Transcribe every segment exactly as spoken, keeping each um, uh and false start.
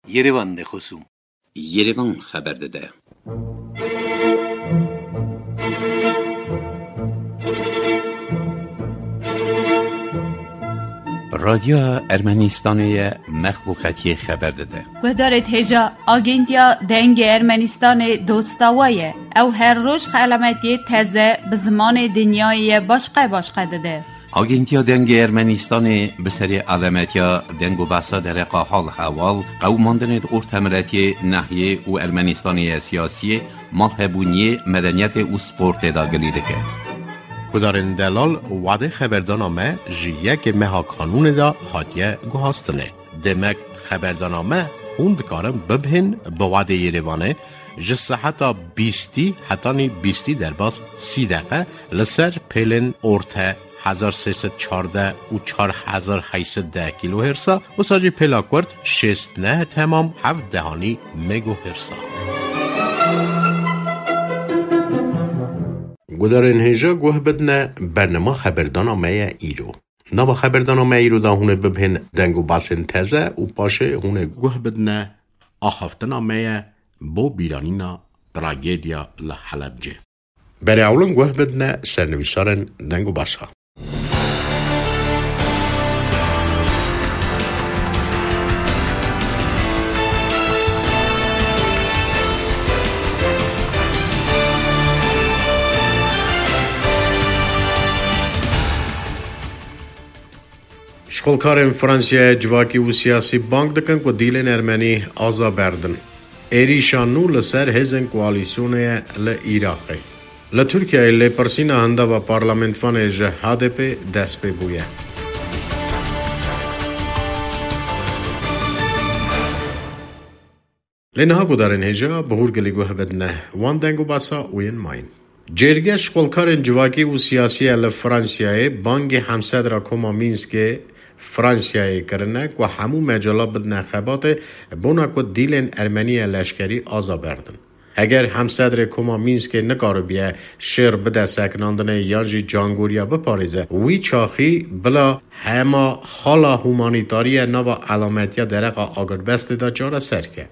Yerevan de xosûm. Yerevan xeber dide. Radyoya Ermenistanê ye, mexluqetiyê xeber dide. Guhdarê hêja, Agentiya Dengê Ermenistanê dosta we ye. Ew her roj xelametiyê teze bi zimanê dinyayê ye başqe başqe dide. Agentiya Dengê Ermenistanê bi serê alametiya deng û behsa dereqa hal hewal, qewimandinê di ortemiletiyê, nehiyê û Ermenistanê ye siyasiyê, malhebûniyê, medeniyetê û sportê de gilî dike. Gudarên delal, wadê xeberdana me ji yekê meha kanûnê de hatiye guhastinê. Demek xeberdana me hûn dikarin bibihên bi wadê Yerevanê ji seheta bîstî hetanî bîstî derbas sî deqe li ser pêlên orte hezar sê sed çardeh û çar hezar heyt sed deh kîlohêrsa, wisa jî pêla kurt şêst neh temam heft dehanî megohêrsa. Gudarên hêja guh bidine, bernama xeberdana me ye îro. Nava xeberdana me îro de hûn ê bibihên deng û behsên teze û paşê hûn ê guh bidine axaftina me ye bo bîranîna tragediya li Helebcê. Berê ewlin guh bidine sernivîsarên deng û behsa. Şixulkarên Fransiyayê civakî û siyasî bang dikin ku dîlên ermenî aza berdin. Êrîşa nû li ser hêzên koalîsyonê ye li Iraqê. Li Tirkiyeyê lêpirsîna hindava parlamentvanê ji H D P dest pê bûye. Lê niha gudarên hêja bi hûrgilî guh bidine wan deng û behsa û yên mayîn. Cêrge şixulkarên civakî û siyasî ye li Fransiyayê bangê Hemsedra Koma Mînskê Fransiyayê kirine ku hemû mecala bidine xebatê bona ku dîlên ermenî ye leşkerî aza berdin. Heger Hemsedrê Koma Mînskê nikaribiye şêr bide sekinandinê yan jî cangoriya biparêze, wî çaxî bila hema xala humanîtarî ye nava elametiya dereqa agirbestê de çareser ke.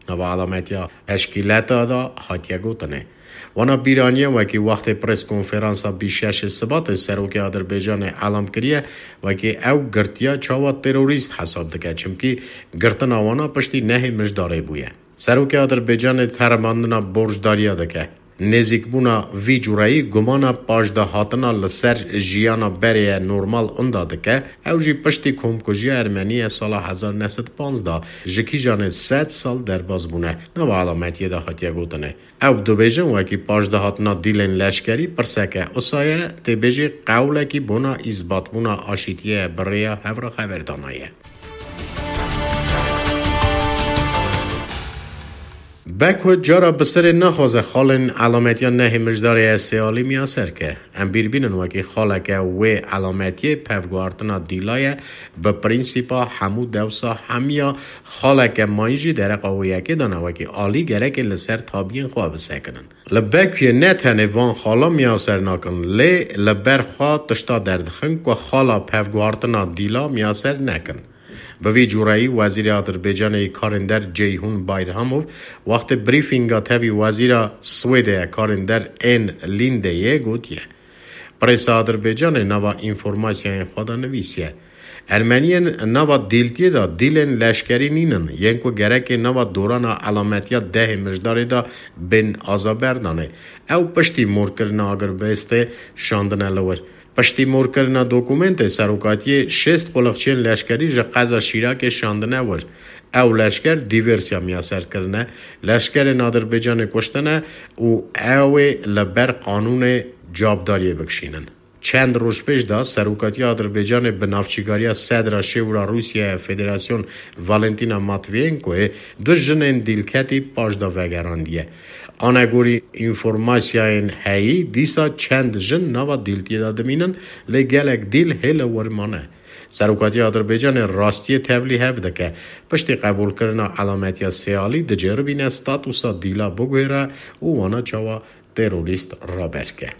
Nava elametiya teşkîleta de hatiye gotinê. Wana bîraniye wekî wextê pres konferansa bîst şeşê Sibatê serokê Adirbaycanê elam kiriye, wekî ew girtiya çawa terorîst hesab dike, çimkî girtina wana piştî nehê Mijdarê bûye. Serokê Adirbaycanê teremandina borcdariya dike. Nêzîkbûna vî cureyî gumana paşdahatina li ser jiyana berê ye normal inda dike, ew jî piştî komkujiya Ermeniyê sala hezar neh sed panzdeh ji kîjanê sed sal derbas bûne, nava elametiyê de hatiye gotinê. Ew dibêjin wekî paşdahatina dîlên leşkerî pirseke usa ye, tê bêjî qewlekî bona îzbatbûna aşîtiyê ye bi rêya hevra xeberdana ye. Beko cara bi serê naxwaze xalên elametiya nehê Mijdarê ye sê alî miyaser ke. Em bîr bînin wekî xaleke wê elametiyê pevguhartina dîla ye, bi prînsîpa hemû dewsa hemiya xaleke mayîn jî dereqa wê yekê de ne, wekî alî gerekê li ser tabiyên xwe bisekinin. Li Bekuyê ne tenê van xala miyaser nakin, lê li ber xwe tişta derdixin ku xala pevguhartina dîla miyaser nekin. Bi vî cureyî Wezîrê Adirbaycanê yê Karên Der Ceyhun Bayramov wextê brîfînga tevî Wezîra Swêdê ye Karên Der Ann Lindeyê gotiye, Presa Adirbaycanê nava înformasyayên xwe de nivîsiye, Ermeniyên nava dîltiyê de dîlên leşkerî nînin, yên ku gerekê nava dorana elametiya dehê Mijdarê de bên azaberdanê. Ew piştî morkirina agirbestê şandine li wir. Piştî morkirina dokumentê serokatiyê şêst quliqçiyên leşkerî ji qeza Şîrakê şandine wir. Ew leşker dîversiya miyaser kirine, leşkerên Adirbaycanê kuştine û ew ê li ber qanûnê cavdariyê bikişînin. Çend roj pêş de serokatiya Adirbaycanê bi navçîgariya sedra şêwra Rûsyayê Federasyon Valentina Matviyenkoyê du jinên dîlketî paş de vegerandiye. Anegorî înformasyayên heyî, dîsa çend jin nava dîltiyê de dimînin, lê gelek dîl hê li wir mane. Serokatiya Adirbaycanê rastiyê tevlî hev dike. Piştî qebûlkirina elametiya sêalî diceribîne statusa dîla biguhêre û wana çawa terorîst raber ke.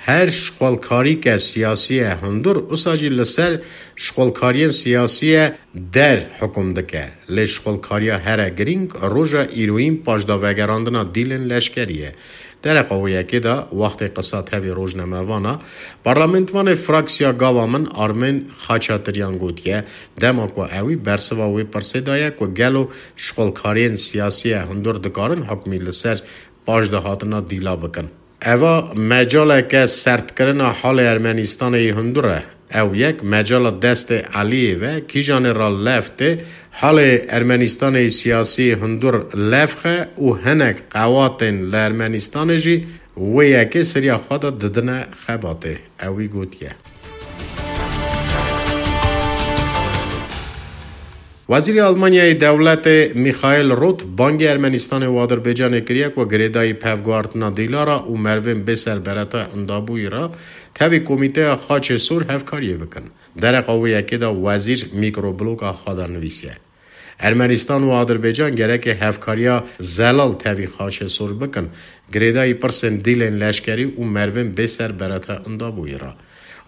Her şixulkarîke siyasî ye hundur, usa jî li ser şixulkariyên siyasî ye der hukum dike. Lê şixulkariya here girîng roja îroyîn paşdavegerandina dîlên leşkerî ye. Dereqa wê yekê de wextê qisa tevî rojnamevana, parlamentvanê fraksiya Gava Min Armên Xaçatiryan gotiye, dema ku ewî bersiva wê pirsê daye ku gelo şixulkariyên siyasî ye hundur dikarin hukmî li ser paşdahatina dîla bikin. Eva mecaleke sertkirina halê Ermenistanê yî hundur e. Ew yek mecala destê Eliyê ve, kîjanê ra lev tê, halê Ermenistanê yî siyasî hundur lev xe û hinek qewatên li Ermenistanê jî wê yekê siriya xwe de didine xebatê. Ewî gotiye. Wezîrê Almanyayê dewletê Michael Roth bangê Ermenistanê û Adirbaycanê kiriye ku girêdayî pevguhartina dîlara û merivên bêser bereta indabûyî re tevî Komîteya Xaçê Sor hevkariyê bikin. Dereqa wê yekê de wezîr mîkrobloka xwe de nivîsiye, Ermenistan û Adirbaycan gereke hevkariya zelal tevî Xaçê Sor bikin, girêdayî pirsên dîlên leşkerî û merivên bêser bereta indabûyî re.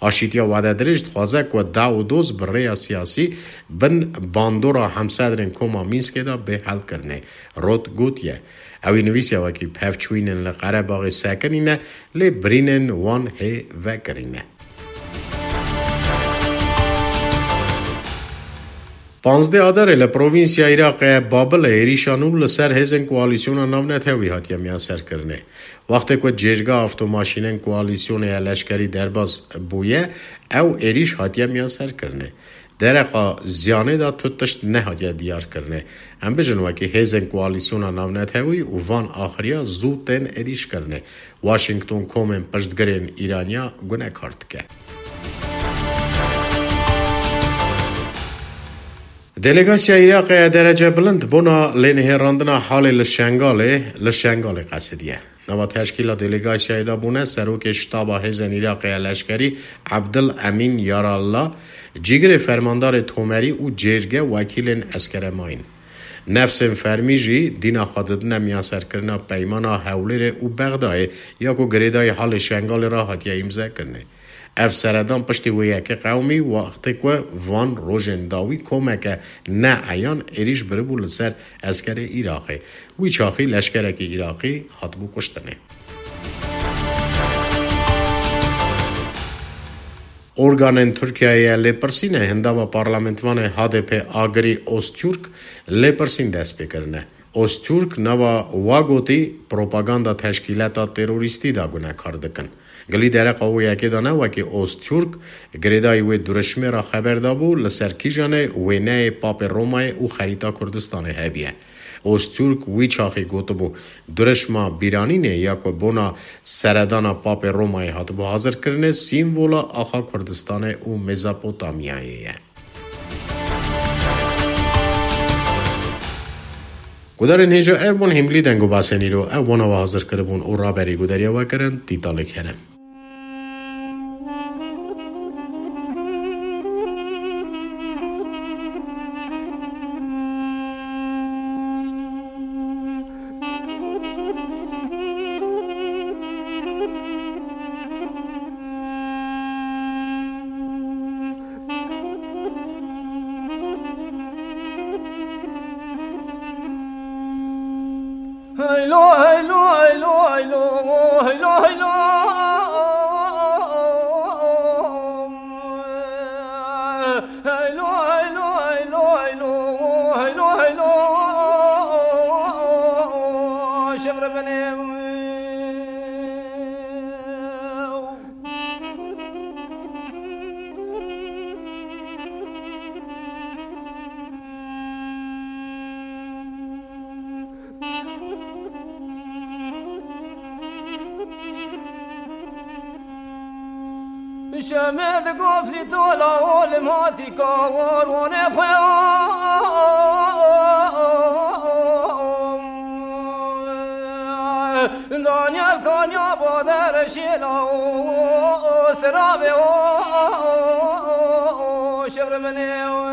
Aşîtiya Wededirêj dixwaze ku da û doz bi rêya siyasî bin bandora hemsedrên Koma Mînskê de bê helkirinê. Roth gotiye, ewî nivîsiya wekî pevçûyînên li Qerebaxê sekinîne, lê birînên wan hê vekirîne. Panzdeh Adarê li provînsya Iraqê Babilê êrîşa nû li ser hêzên koalîsyona navnetewî hatiye miyanserkirinê. Wextê ku cêrga avtomaşînên koalîsyonê ya leşkerî derbas bûye, ew êrîş hatiye miyanserkirinê. Dereqa ziyanê de tu tişt nehatiye diyarkirinê. Em bijin wekî hêzên koalîsyona navnetewî û van axiriya zû tên êrîşkirinê. Washington komên piştgirên Îraniya gunekar dike. Delegasiya Iraqê ya derece bilind bona lênihêrandina halê li Şengalê, li Şengalê qesidiye. Nava teşkîla delegasiyayê de bûne serokê ştaba hêzên Iraqê ya leşkerî Abdul Emîn Yarallah, cîgirê fermandarê tomerî û cêrge wekîlên eskere mayîn. Nefsên fermî jî dîna xwe didine miyanserkirina peymana Hewlêrê û Bexdayê ya ku girêdayî halê Şengalê re hatiye îmzekirinê. Ev seredan piştî wê yekê qewimî, wextê ku van rojên dawî komeke neeyan êrîş biribû li ser eskerê Iraqê. Wî çaxî leşkerekî Iraqî hatibû kuştinê. Organên Tirkiyeyê ya lêpirsînê hindava parlamentvanê H D P Agirî Ozturk lêpirsîn dest pê kirine. Ozturk nava wa gotî propaganda teşkîleta terorîstî de gunekar dikin. Gilî dereqa wê yekê de ne wekî Ozturk girêdayî wê durişmê re xeber dabû, li ser kîjanê wêneyê Papê Romayê û xerîta Kurdistanê hebiye. Ozturk wî çaxî gotibû, durişma bîranînê ya ku bona seredana Papê Romayê hatibû hazirkirinê, sîmvola axa Kurdistanê û Mezopotamyayê ye. Gudarên hêja ev bûn hîmlî deng û basên îro. Ev bona we hazir kiribûn û raberî gudariya we kirin, Tîtalê Kerem. Heylo, heylo, heylo, heylo, heylo, heylo. Heylo, heylo, heylo, heylo, heylo, heylo. Şevre bene. Şemê di gofrî tola olim hatî kawar wanê xwe. Danyal kanya bader şêla o, o, o, sirabê o, o, o, o, şevr minê o.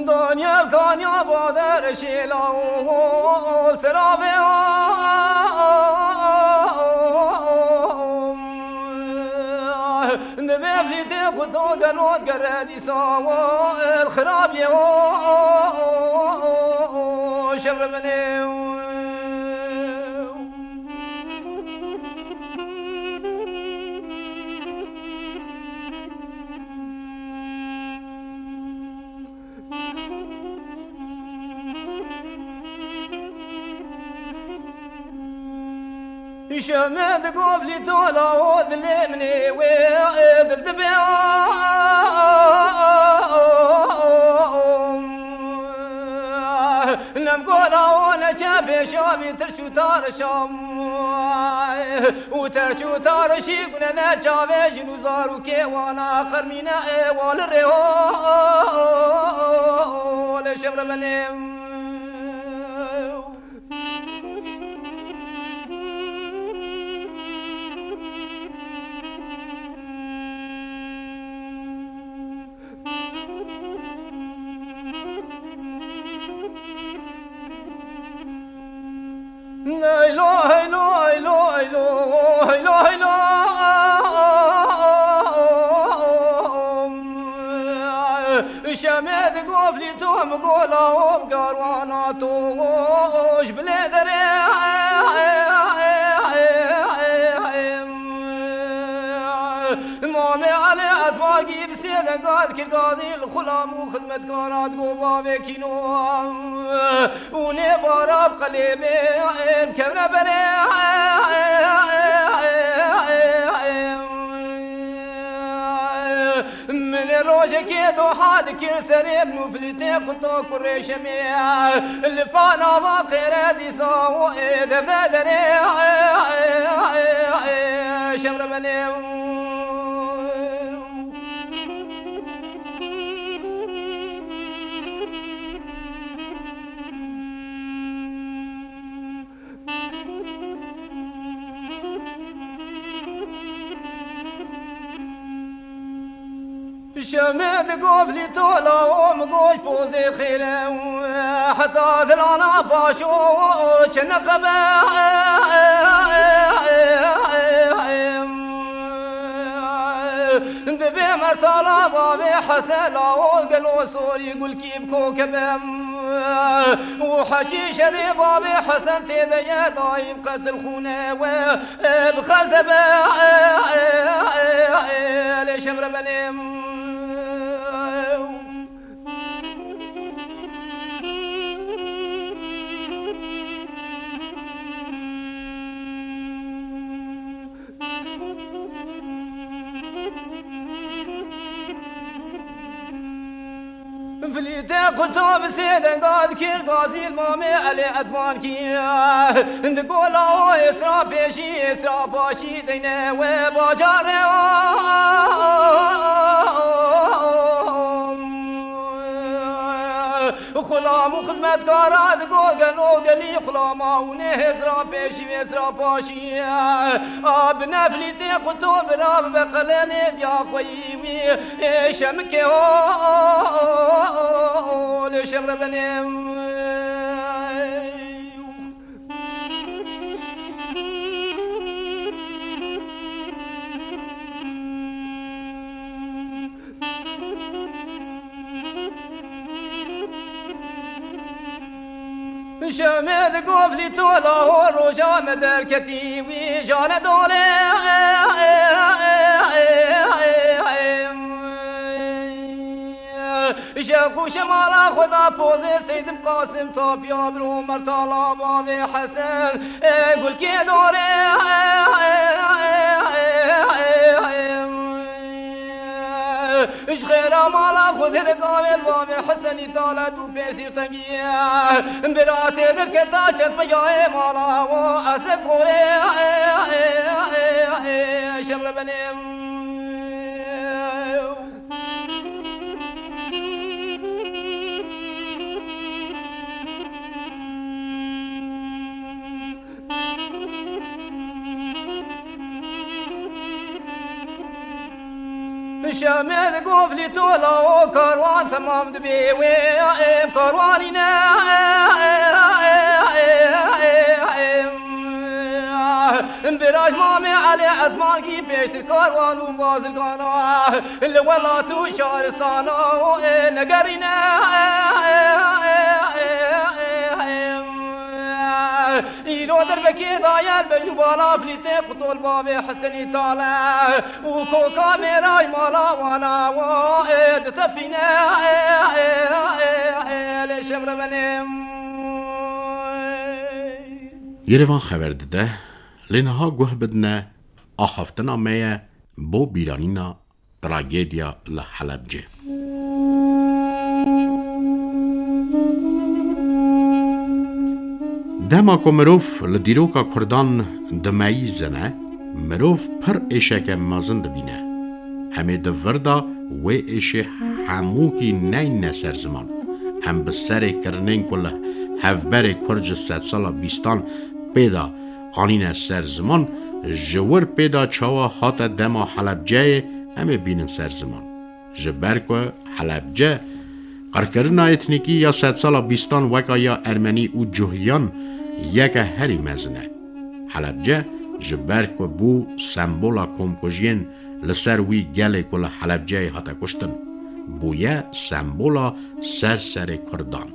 Danyal kanya bader şêla û seravê Divê vlîtê ku to gelo gere dîsa xirabiyê şevrebenê. Şemê di govlî tola o dilê min ê wê dil dibe. Nem gola o neçe pêşa vî tirş û tarşam. Û terş û tarşî gune ne çavê jin û zarokê wana xermîne ê wali rê ho lê şevrebenê. Heylo, heylo, heylo, heylo, heylo, heylo. Şemê di goflî to mi gola o bi garwana to ji bilê derê. Mamê Elê Etbargî bi sê venga dikir gazî li xulam û xizmetkara digo bavê kîno. Û nê bara bi qelêbê em kevne berê. Min ê rojekê doha dikir serê min û filîtê quto kurê şemê. Li pa nava qêre dîsa û ê devde derê şevrebenê. Şemê di goflî tola o mi goş pozê xêre heta dilana paşo çi neqebe. Divê mertala bavê Hesen la o gelo sorî gulkî bi kokebem. Û heçî şerê bavê Hesen tê de ye daîm qetil xûne we bi xezebe lê şevrebenê. Filîte quto bi sê denga dikir gazî li mamê Elê Etmankî. Di gola o êsra pêşî êsra paşî deyne we bajarê o. Xulam û xizmetkara digo gelo gelî xulama û nê hêzra pêşî vêzra paşî. A bi neflî tê quto bira bibe qelenê diya xweyî wî ê şemikê ho lê şevrebenê. Şemê di goflî tola ho roja me derketî wî jane dolê. Ji xûşe mala xwe da pozê Seydim Qasim tapiya biro mertala bavê Hesen. Ê gulkê dorê. Ji xêra mala xwe dene gavê li bavê Hesenî talet û pêsîr tengiye. Bira tê derketa çetpeyayê mala wo ese korê. Şevrebenê. Şemê di goflî tola û karwan temam dibê wê em karwanî ne. Biraj mamê Elê Etmankî pêştir karwan û bazirgana li welat û şaristana û negerîne. Îro derbekê dayel be û bala flîtê qutol bavê Hesenî Tale. û koka mêraj mala wana wo, ê, ditefîne, ê, ê, ê, ê, lê şev revenê. Yerevan xeber dide, lê niha guh bidine, axaftina me ye bo bîranîna tragediya li Helebcê. Dema ku mirov li dîroka Kurdan dimeyîzine, mirov pir êşeke mezin dibîne. Em ê di vir de wê êşê hemûkî neyne ser ziman. Em bi serê kirinên ku li hevberê Kurd ji sedsala bîstan pê de anîne ser ziman, ji wir pê de çawa hate dema Helebceyê, em ê bînin ser ziman. Ji ber ku Helebce qirkirina etnîkî ya sedsala bîstan weka ya Ermenî û Cuhiyan yeke herî mezin e. Helebce ji ber ku bû sembola komkujiyên li ser wî gelê ku li Helebceyê hate kuştin, bûye sembola ser serê Kurdan.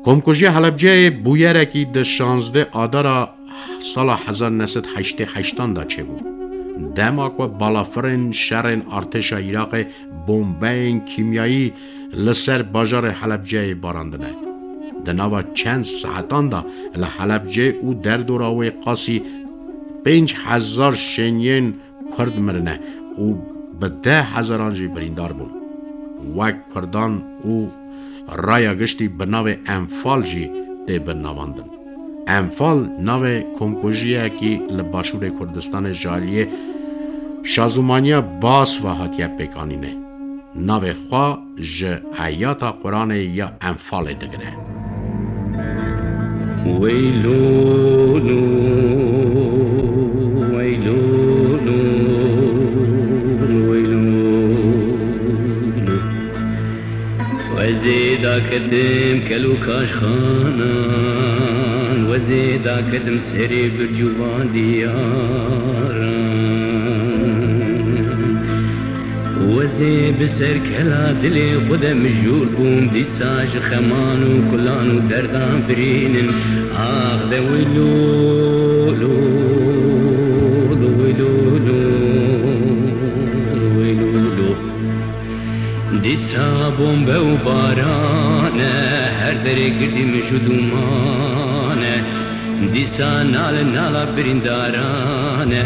Komkujiya Helebceyê bûyerekî di şazdeh Adara sala hezar neh sed heştê heştan de çêbû. Dema ku balafirên şerên artêşa Iraqê bombeyên kîmyayî li ser bajarê Helebceyê barandine. Di nava çend saetan de li Helebcê û derdora wê qasî pênc hezar şêniyên Kurd mirine û bi deh hezaran jî birîndar bûn. Wek Kurdan û raya giştî bi navê Enfal jî tê binavandin. Enfal navê komkujiyekî li başûrê Kurdistanê ji aliyê şazûmaniya Baas ve hatiye pêkanînê. Navê xwe ji eyata Quranê ya Enfalê digire. Weylûn, weylûn, weylûn. Wezê daketim kel û kaşxanan, wezê daketim serê birc û van diyaran. Wezê bi ser kela dilê xwe de mijûl bûm, dîsa ji xeman û kulan û derdan birînin. Ax de wilo, lo, lo, wilo, lo, wilo, lo. Dîsa bombe û baran e, her derê girdî mij û dûman e. Dîsa nal nala birîndaran e.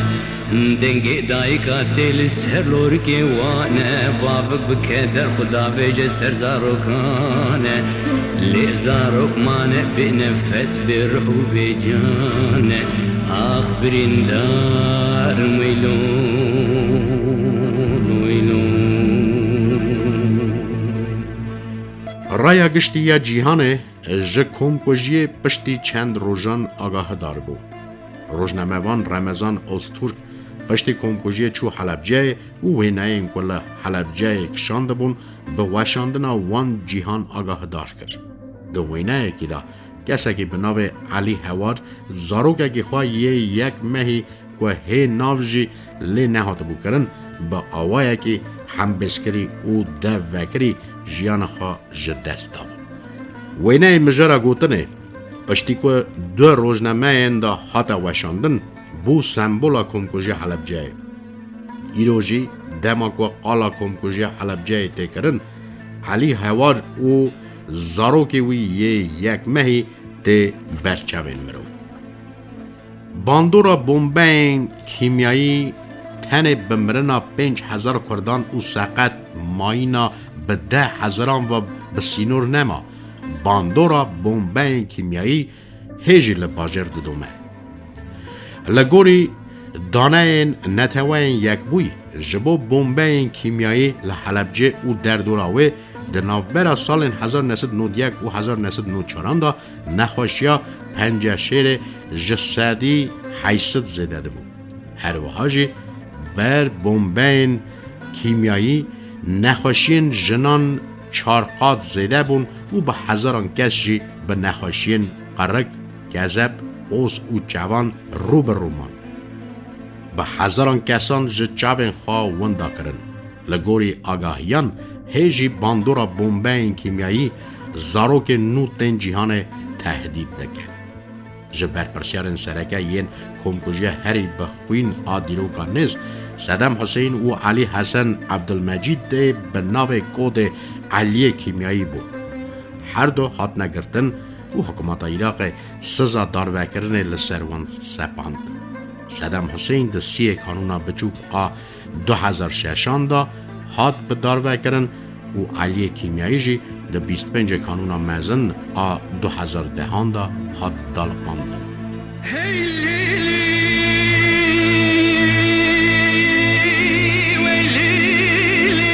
Dengê dayika tê li ser lorikê wan e, bavik bi keder xwe davêje ser zarokan e. Lê zarok mane bê nefes, bê ruh û bê can e. Ax birîndar, weylûn, weylûn. Raya giştî ya cîhanê ji komkujiyê piştî çend rojan agahidar bû. Rojnamevan Remezan Ozturk piştî komkujiyê çû Helebceyê û wêneyên ku li Helebceyê kişandibûn, bi weşandina wan cîhan agahidar kir. Di wêneyekî de kesekî bi navê Elî Hewar zarokekî xwe yê yek mehî ku hê nav jî lê nehatibû kirin, bi awayekî hembêzkirî û dev vekirî jiyana xwe ji dest dabû. Wêneyê mijara gotinê, piştî ku du rojnameyên de hate weşandin, bû sembola komkujiya Helebceyê. Îro jî dema ku qala komkujiya Helebceyê tê kirin, Elî Hewar û zarokê wî yê yek mehî tê ber çavên mirov. Bandora bombeyên kîmyayî tenê bi mirina pênc hezar Kurdan û seqet mayîna bi deh hezaran ve bi sînor nema. Bandora bombeyên kîmyayî hê jî li bajêr didome. Li gorî daneyên Neteweyên Yekbûyî, ji bo bombeyên kîmyayî li Helebcê û derdora wê di navbera salên hezar neh sed nod yek û hezar neh sed nod çaran de nexweşiya penceşêrê ji sedî heyşt sed zêde dibû. Her wiha jî ber bombeyên kîmyayî, nexweşiyên jinan çar qat zêde bûn û bi hezaran kes jî bi nexweşiyên qerik, kezeb, os û çevan rû bi rû man. Bi hezaran kesan ji çavên xwe winda kirin. Li gorî agahiyan, hê jî bandora bombeyên kîmyayî zarokên nû tên cîhanê tehdît dike. Ji berpirsiyarên sereke yên komkujiya herî bi xwîn a dîroka nêz, Sedem Huseyîn û Elî Hesen Ebdulmecîd dê bi navê kodê Eliyê Kîmyayî bûn. Her du hatine girtin û hikûmeta Iraqê siza darvekirinê li ser wan sepand. Sedem Huseyîn di siyê kanûna biçûk a du hezar şeşan de hat bi darvekirin û Eliyê Kîmyayî jî di bîst pêncê kanûna mezin a du hezar dehan de hat daliqandin. Hey Lîlî, wey Lîlî,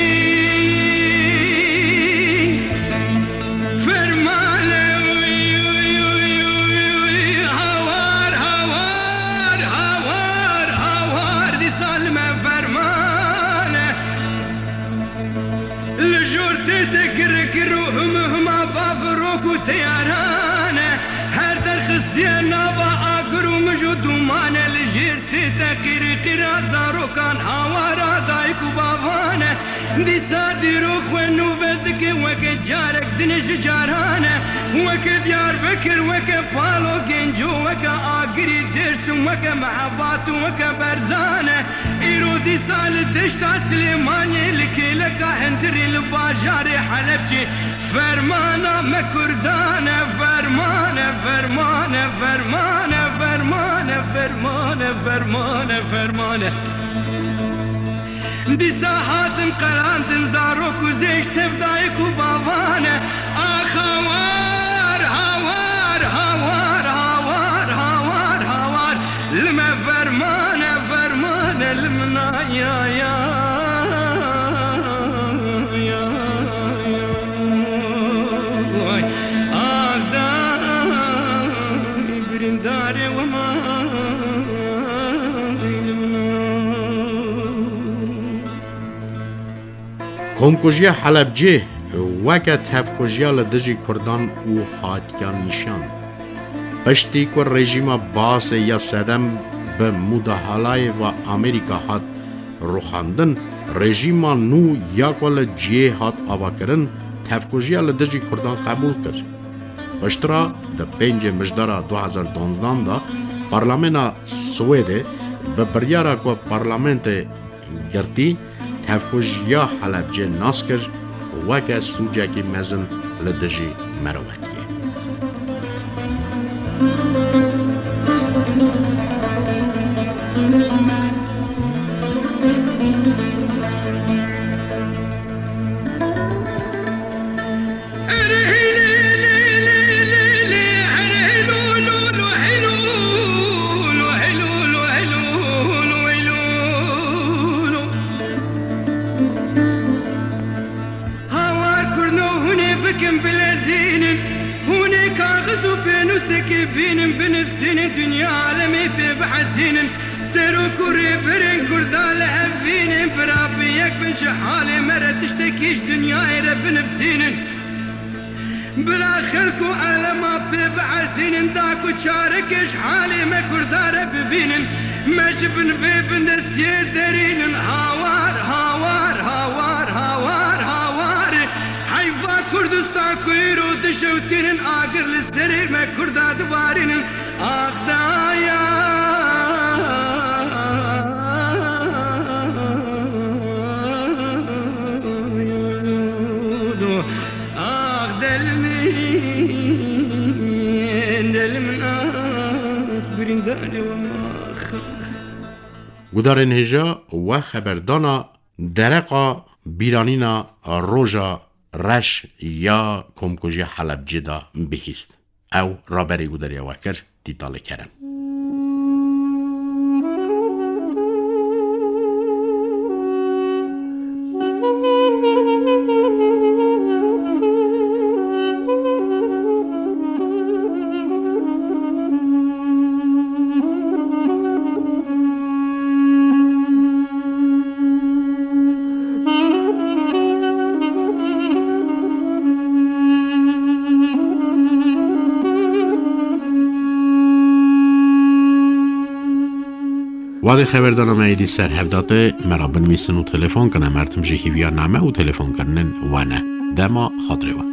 fermane, uy, uy, uy, uy, uy, hawar, hawar, hawar, hawar, dîsa li me fermane. Li jor tê te kir kir û him hima bavirok û teyaran e. Her der xistiye nava agir û mij û dûman e. Li jêr tê te qîrî qîra zarokan hawara dayik û bavan e. Dîsa dîrok xwe nûve dike weke carek din ji caran e. Weke Diyarbekir, weke Palo Genco, weke Agirî Dêrsim, weke Mehebat û weke Berzan e. Îro dîsa li deşta Silêmaniyê, li kêleka Hindirê, li bajarê Helebcê fermana me Kurdan e, ferman e, ferman e, ferman e, ferman e, ferman e, ferman e, ferman e. Dîsa hatin qerandin zarok û zêş tev dayik û bavan e. Ax hawar, hawar, hawar, hawar, hawar, hawar. Li me ferman e, ferman e, li min a ya, ya, ya, ya. Ax day birîndarê we ma. Komkujiya Helebcê weke tevkujiya li dijî Kurdan û hatiya nîşan. Piştî ku rejîma Baasê ya sedem bi mudahalayê ve Amerîka hat rûxandin, rejîma nû ya ku li cihê hat avakirin, tevkujiya li dijî Kurdan qebûl kir. Piştre di pêncê Mijdara du hezar duwazdeh de Parlamena Swêdê bi biryara ku Parlamentê girtî, tevkujiya Helebcê nas kir weke sûcekî mezin li dijî mirovetiyê. Hawar kurno hûn ê bikin bilezînin, hûn ê kaxiz û pênûsekê bînin, binivsînin, dinya alemê pê bihezînin. Serok û rêberên Kurda li hev bînin, bira bi yek bin ji halê me re tiştekî ji dinyayê re binivsînin. Bila xelk û elema pê biezînin, da ku çareke ji halê me Kurda re bibînin. Me ji bin vê bindestiyê derînin, hawar, hawar, hawar, hawar, hawar. Heyfa Kurdistan ku îro dişewtînin, agir li serê me Kurda dibarînin. Ax daya, ax del min, del min, ax birîndarê we, ax. Gudarên hêja, we xeberdana dereqa bîranîna roja reş ya komkujiya Helebcê de bihîst. Ew raberê guderê we kir, Tîtalê Kerem. Wadê xeberdana me êdî ser hev da tê, me ra binivîsin û telefon kine, mertim jî hîviya name û telefonkirinên we ne. Dema xatirê we.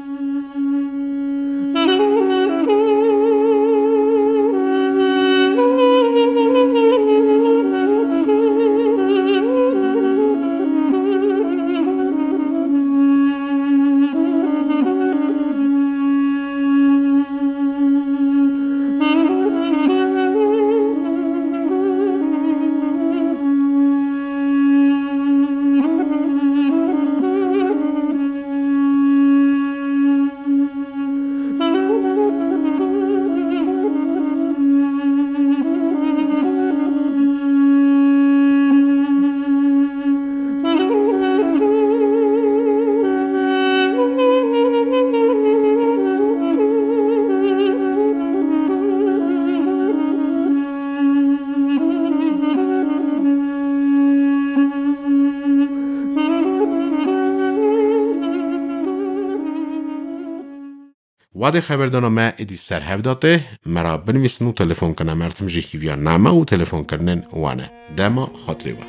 Wadê xeberdana me êdî ser hev da tê, me ra binivîsin û telefon kine, mertim jî hîviya name û telefonkirinên we ne. Dema xatirê we.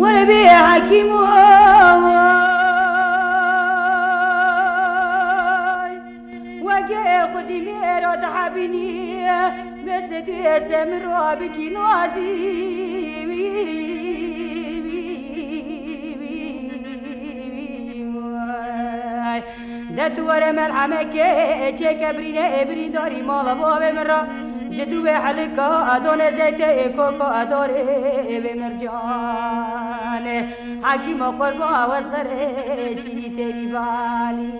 Were bê hekîm oy, weke xwedî mêra dihebînî, bes dê se min ra bikî nazî. De tu were melhemekê çêke birîne, ê birîndarî mala bavê min ra. Ji dû wê helika adone zeytê, ê koko adorê ê wê mercanê. Hekîmo qurba wezxerê şîrî têrî balî.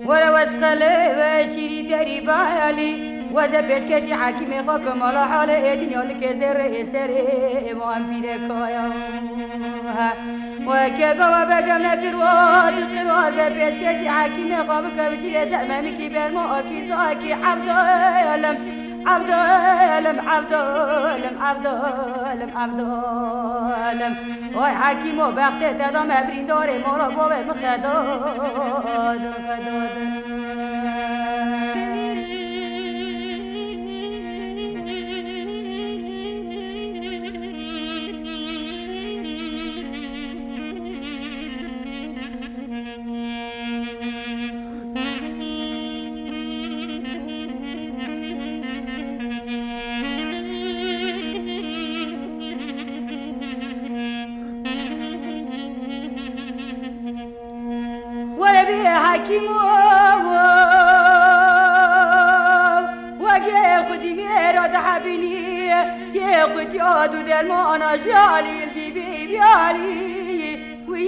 Were wesxelê we şîrî terî bayalî, weze pêşkeşî hekîmê xwe ke mala halê ê dinya li kêzê rê ê serê ê wan pîrekaya. Weke gava begem nekir wa diqir war be pêşkeşî hekîmê xwe bike, bijî lê ser memikî berma akî zakî Evdalem, Evdalem, Evdalem, Evdalem, Evdalem. Oy hekîmo bextê te da me birîndarê mala bavê min xedadin, xedadin. Were bê hekîm o, wegê xwedî mêra dihebînî, tê xwedî ad û dermana ji alî bî bî bî alî. Wî,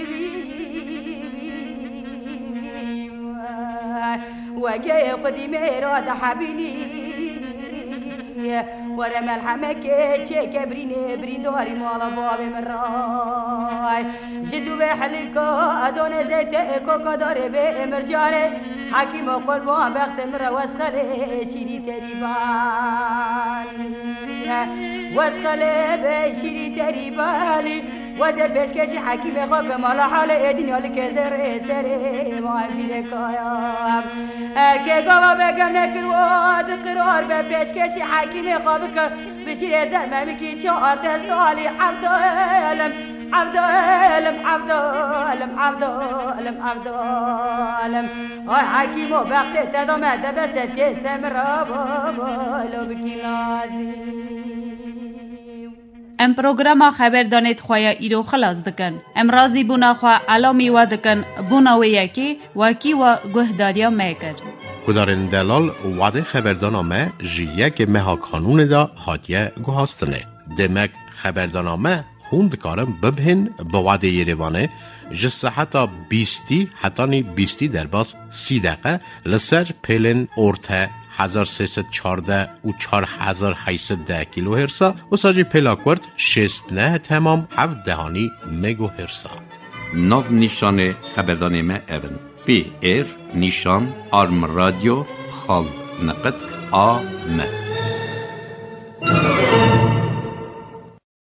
wî, wî, wî, wegê xwedî mêra dihebînî. Were melhemekê çêke birînê, birîndarî mala bavê min ray. Ji dû vê helîka adone zeytê, koka darê bê mircanê. Hekîmo qurban bextê min re wesxelê şîrî terî balî. Wesxelê bê şîrî terî balî. Weze pêşkêşî hekîmê xwe ke mala halê ê dinya li kêzê rê serê ma vîrê kaya. Erkê gava begem nekir wa diqirar be pêşkêşî hekîmê xwe bike. Bijîrê zer memikî çar de salî Evdalem, Evdalem, Evdalem, Evdalem, Evdalem. Ay hekîmo bextê te da me de bese tê semra baba lo bikî nazî. Em programa xeberdanê di xwe ya îro xilas dikin. Em razîbûna xwe elamî we dikin, bona wê yekê wekî we guhdariya me kir. Guhdarên delal, wadê xeberdana me ji yekê meha Kanûnê de hatiye guhastinê. Demek xeberdana me hûn dikarin bibihên bi wadê Yerêvanê ji seheta bîstî hetanî bîstî derbas sî deqe li ser pêlên orte hezar sê sed çardeh û çar hezar heyt sed deh kilohertsa, wisa jî pêla kurt şêst neh temam heft dehanî megohertsa. Nav nîşanê xeberdanê me ev in: P R nîşan arm radyo xal niqit a m.